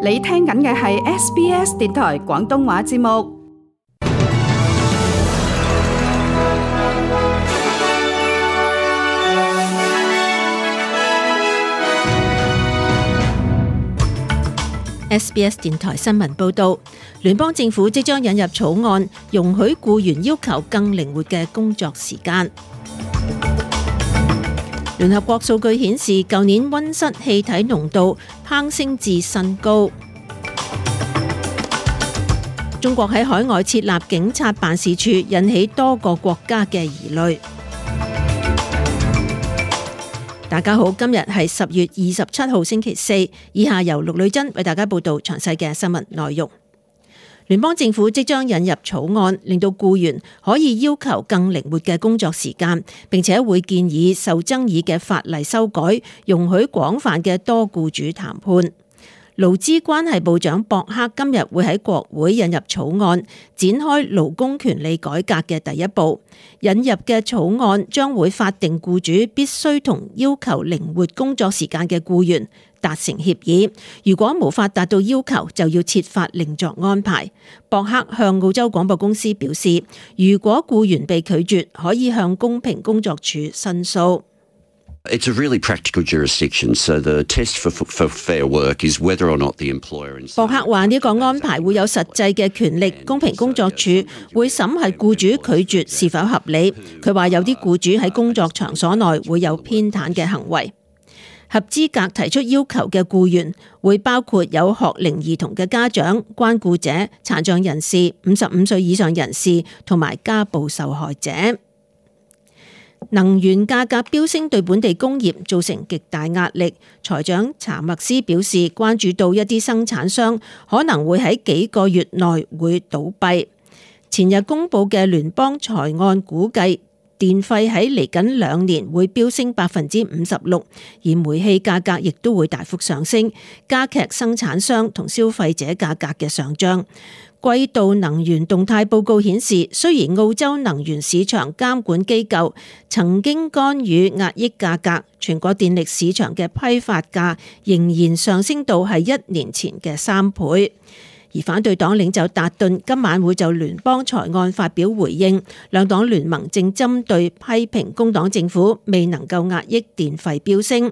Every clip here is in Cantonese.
你聽緊嘅係 SBS 電台廣東話節目。SBS 電台新聞報導，聯邦政府即將引入草案，容許僱員要求更靈活嘅工作時間。聯合國數據顯示，舊年溫室氣體濃度攀升至新高。中國喺海外設立警察辦事處，引起多個國家嘅疑慮。大家好，今日係10月27號星期四，以下由陸女珍為大家報道詳細嘅新聞內容。聯邦政府即將引入草案，令到僱員可以要求更靈活嘅工作時間，並且會建議受爭議嘅法例修改，容許廣泛嘅多僱主談判。勞資關係部長博克今日會喺國會引入草案，展開勞工權利改革嘅第一步。引入嘅草案將會法定僱主必須同要求靈活工作時間嘅僱員達成協議，如果無法達到要求，就要設法另作安排。博克向澳洲廣播公司表示，如果僱員被拒絕，可以向公平工作處申訴。It's a really practical jurisdiction, so the test for fair work is whether or not the employer... 博克話呢個安排會有實際嘅權力，公平工作處會審核僱主拒絕是否合理。佢話有啲僱主喺工作場所內會有偏袒嘅行為。合資格提出要求嘅僱員會包括有學齡兒童嘅家長、關顧者、殘障人士、55歲以上人士同埋家暴受害者。能源價格飆升對本地工業造成極大壓力，財長查默斯表示關注到一啲生產商可能會喺幾個月內會倒閉。前日公布嘅聯邦財案估計，電費喺嚟緊2年會飆升56%，而煤氣價格亦都會大幅上升，加劇生產商同消費者價格嘅上漲。季度能源動態報告顯示，雖然澳洲能源市場監管機構曾經干預壓抑價格，全國電力市場嘅批發價仍然上升到係1年前嘅3倍。而反對黨領袖達頓今晚會就聯邦財案發表回應，兩黨聯盟正針對批評工黨政府未能夠壓抑電費飆升。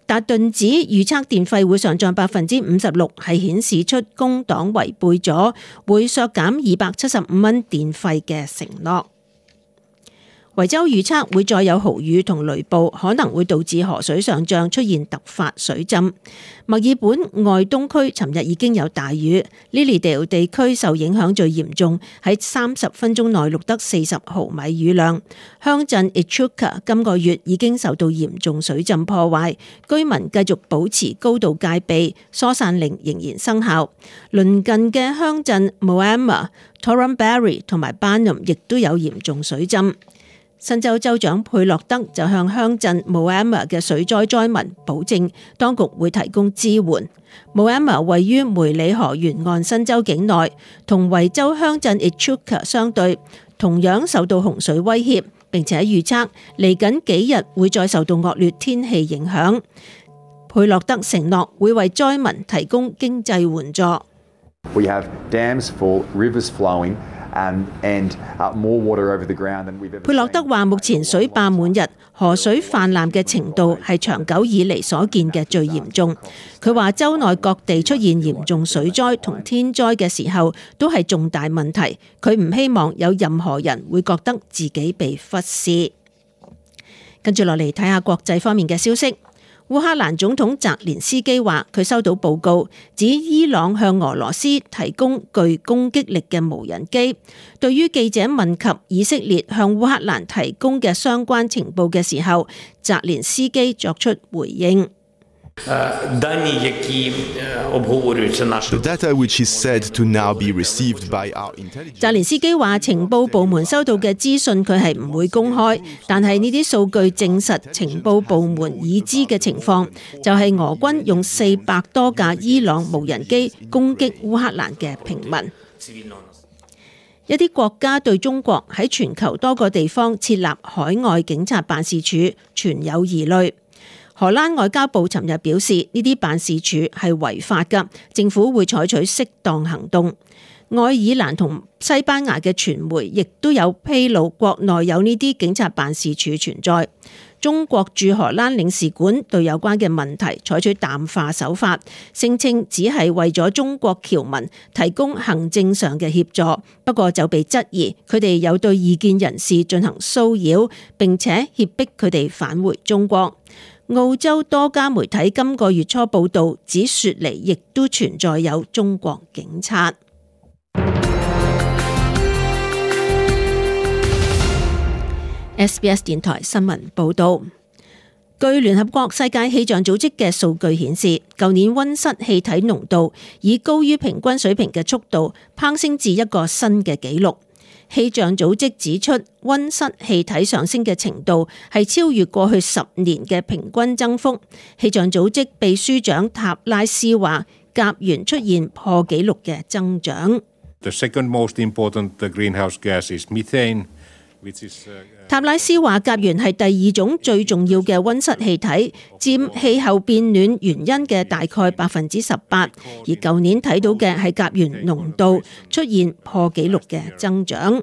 達頓指預測電費會上漲56%，係顯示出工黨違背咗會削減275蚊電費嘅承諾。維州預測會再有豪雨同雷暴，可能會導致河水上漲，出現突發水浸。墨爾本外東區尋日已經有大雨，Lilydale 地區受影響最嚴重，喺30分鐘內錄得40毫米雨量。鄉鎮 Echuca 今個月已經受到嚴重水浸破壞，居民繼續保持高度戒備，疏散令仍然生效。鄰近嘅鄉鎮 Moama、Torrumbarry 同埋 Barnum 亦都有嚴重水浸。新州州長佩洛德就向鄉鎮 Moama 嘅水災災民保證，當局會提供支援。Moama 位於梅里河沿岸新州境內，同維州鄉鎮 Echuca 相對，同樣受到洪水威脅，並且預測嚟緊幾日會再受到惡劣天氣影響。佩洛德承諾會為災民提供經濟援助。We have dams full, rivers flowing.佩洛德話：目前水壩滿溢，河水泛濫嘅程度係長久以嚟所見嘅最嚴重。佢話州內各地出現嚴重水災同天災嘅時候，都係重大問題。佢唔希望有任何人會覺得自己被忽視。跟住落嚟睇下國際方面嘅消息。烏克蘭總統澤連斯基話，佢收到報告，指伊朗向俄羅斯提供具攻擊力嘅無人機。對於記者問及以色列向烏克蘭提供嘅相關情報嘅時候，澤連斯基作出回應。澤連斯基話，情報部門收到嘅資訊佢係唔會公開，但係呢啲數據證實情報部門已知嘅情況，就係俄軍用400多架伊朗無人機攻擊烏克蘭嘅平民。一啲國家對中國喺全球多個地方設立海外警察辦事處存有疑慮。荷蘭外交部尋日表示，呢啲辦事處係違法㗎，政府會採取適當行動。愛爾蘭同西班牙嘅傳媒亦都有披露國內有呢啲警察辦事處存在。中國駐荷蘭領事館對有關嘅問題採取淡化手法，聲稱只係為咗中國僑民提供行政上嘅協助，不過就被質疑佢哋有對異見人士進行騷擾，並且脅迫佢哋返回中國。澳洲多家媒體今個月初報道指雪梨亦都存在有中國警察。SBS 電台新聞報道，據聯合國世界氣象組織嘅數據顯示，舊年溫室氣體濃度以高於平均水平嘅速度攀升至一個新嘅紀錄。氣象組織指出，溫室氣體上升嘅程度係超越過去10年嘅平均增幅。氣象組織秘書長塔拉斯話，甲烷出現破紀錄嘅增長。The second most important greenhouse gas is methane. 塔拉斯話，甲烷係第二種最重要嘅溫室氣體，佔氣候變暖原因嘅大概18%，而舊年睇到嘅係甲烷濃度出現破紀錄嘅增長。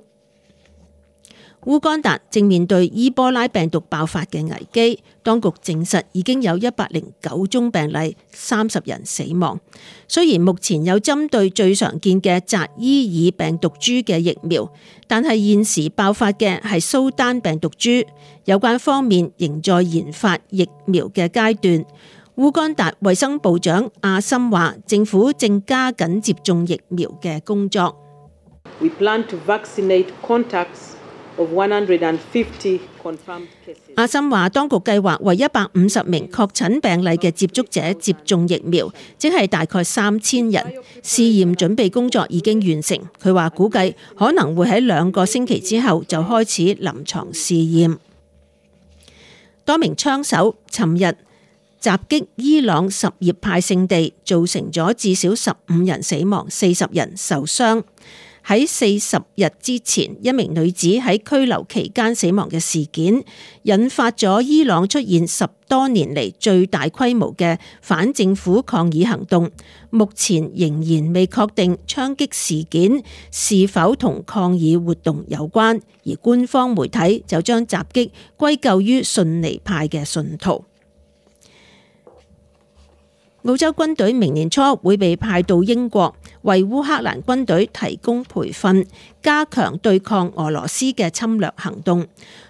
烏干達正面對伊波拉病毒爆發嘅危機，當局證實已經有109宗病例，30人死亡。雖然目前有針對最常見嘅扎伊爾病毒株嘅疫苗，但係現時爆發嘅係蘇丹病毒株，有關方面仍在研發疫苗嘅階段。烏干達衛生部長阿森話，政府正加緊接種疫苗嘅工作。We plan to vaccinate contacts of 150 confirmed cases. 阿森話，當局計劃為150名確診病例嘅接觸者接種疫苗，即係大概3000人。試驗準備工作已經完成。佢話估計可能會喺2個星期之後就開始臨床試驗。多名槍手尋日襲擊伊朗什葉派聖地，造成咗至少15人死亡，40人受傷。喺40日之前，一名女子喺拘留期間死亡嘅事件，引發咗伊朗出現10多年嚟最大規模嘅反政府抗議行動。目前仍然未確定槍擊事件是否同抗議活動有關，而官方媒體就將襲擊歸咎於遜尼派嘅信徒。澳洲軍隊明年初會被派到英國，為烏克蘭軍隊提供培訓，加強對抗俄羅斯嘅侵略行動。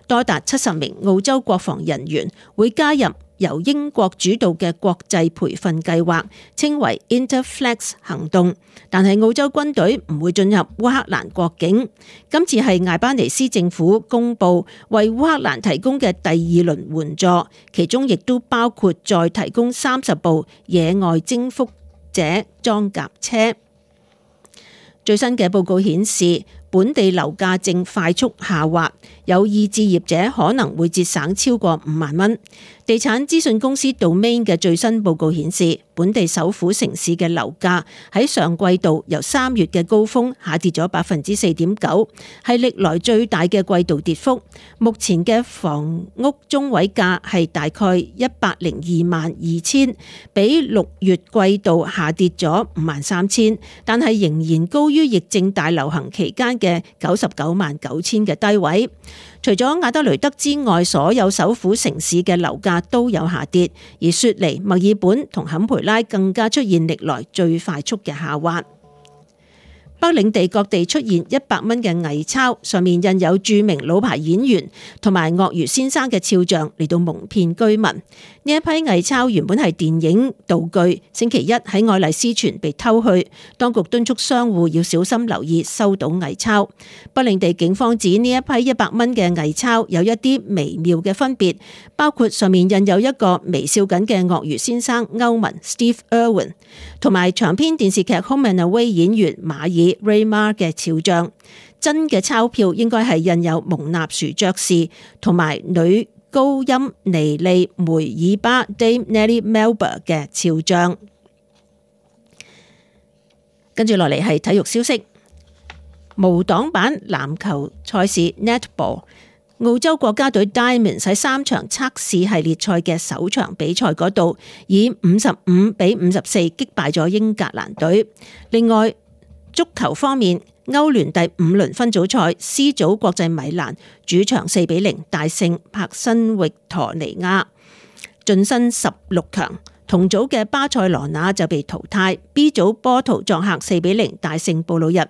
多達70名澳洲國防人員會加入由英國主導嘅國際培訓計劃，稱為 Interflex 行動。但係澳洲軍隊唔會進入烏克蘭國境。今次係艾巴尼斯政府公布為烏克蘭提供嘅第2輪援助，其中亦都包括再提供30部野外征服者裝甲車。最新嘅報告顯示，本地樓價正快速下滑，有意置業者可能會節省超過5萬蚊。地產資訊公司 Domain 嘅最新報告顯示，本地首府城市嘅樓價喺上季度由3月嘅高峰下跌咗4.9%，係歷來最大嘅季度跌幅。目前嘅房屋中位價係大概1022000，比6月季度下跌咗53000，但係仍然高於疫症大流行期間嘅999,000嘅低位。除咗亞德雷德之外，所有首府城市嘅樓價都有下跌，而雪梨、墨爾本同坎培拉更加出現歷來最快速嘅下滑。北領地各地出現100蚊嘅偽鈔，上面印有著名老牌演員同埋鱷魚先生嘅肖像嚟到蒙騙居民。呢一批偽鈔原本係電影道具，星期一喺愛麗絲泉被偷去，當局敦促商戶要小心留意收到偽鈔。北領地警方指呢一批100蚊嘅偽鈔有一啲微妙嘅分別，包括上面印有一個微笑緊嘅鱷魚先生歐文 Steve Irwin， 同埋長篇電視劇 Home and Away 演員馬爾 Raymar 嘅肖像。真嘅鈔票應該係印有蒙納殊爵士同埋女高音尼利梅爾巴 Dame Nellie Melba 嘅肖像。跟住落嚟係體育消息，無黨版籃球賽事 Netball 澳洲國家隊 Diamonds 喺3場測試系列賽嘅首場比賽嗰度，以55-54擊敗咗英格蘭隊。另外，足球方面，歐聯第5輪分組賽 C 組國際米蘭主場4-0大勝柏辛域陀尼亞，晉身16強。同組嘅巴塞羅那就被淘汰。B 組波圖作客4-0大勝布魯日，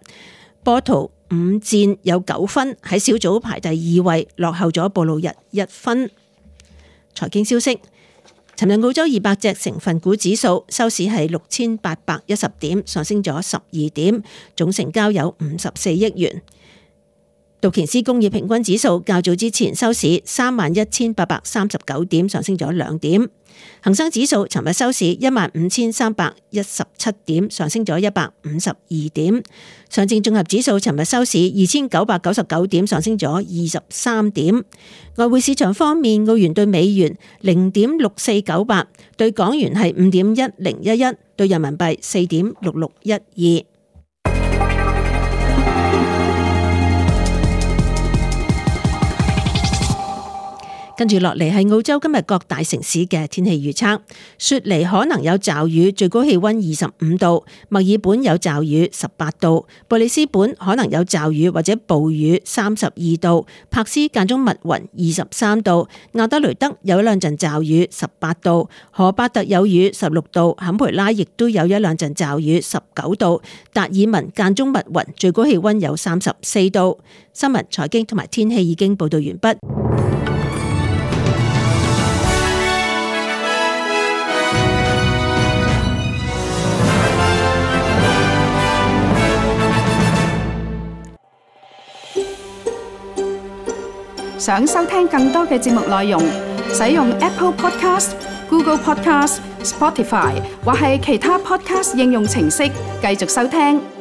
波圖5戰有9分，喺小組排第2位，落後咗布魯日1分。財經消息，尋日澳洲200隻成分股指數收市係6810點，上升咗12點，總成交有54億元。道瓊斯工業平均指數較早之前收市31,839點，上升咗2點。恒生指數尋日收市15,317點，上升咗152點。上證綜合指數尋日收市2,999點，上升咗23點。外匯市場方面，澳元對美元0.6498，對港元係5.1011，對人民幣4.6612。跟住落嚟係澳洲今日各大城市嘅天氣預測。雪梨可能有驟雨，最高氣溫25度；墨爾本有驟雨18度；布里斯本可能有驟雨或者暴雨32度；柏斯間中密雲23度；亞德雷德有一兩陣驟雨18度；荷巴特有雨16度；坎培拉亦都有一兩陣驟雨19度；達爾文間中密雲，最高氣溫有34度。新聞、財經同埋天氣已經報道完畢。想收聽更多嘅節目內容，使用 Apple Podcast、Google Podcast、Spotify 或係其他 Podcast 應用程式繼續收聽。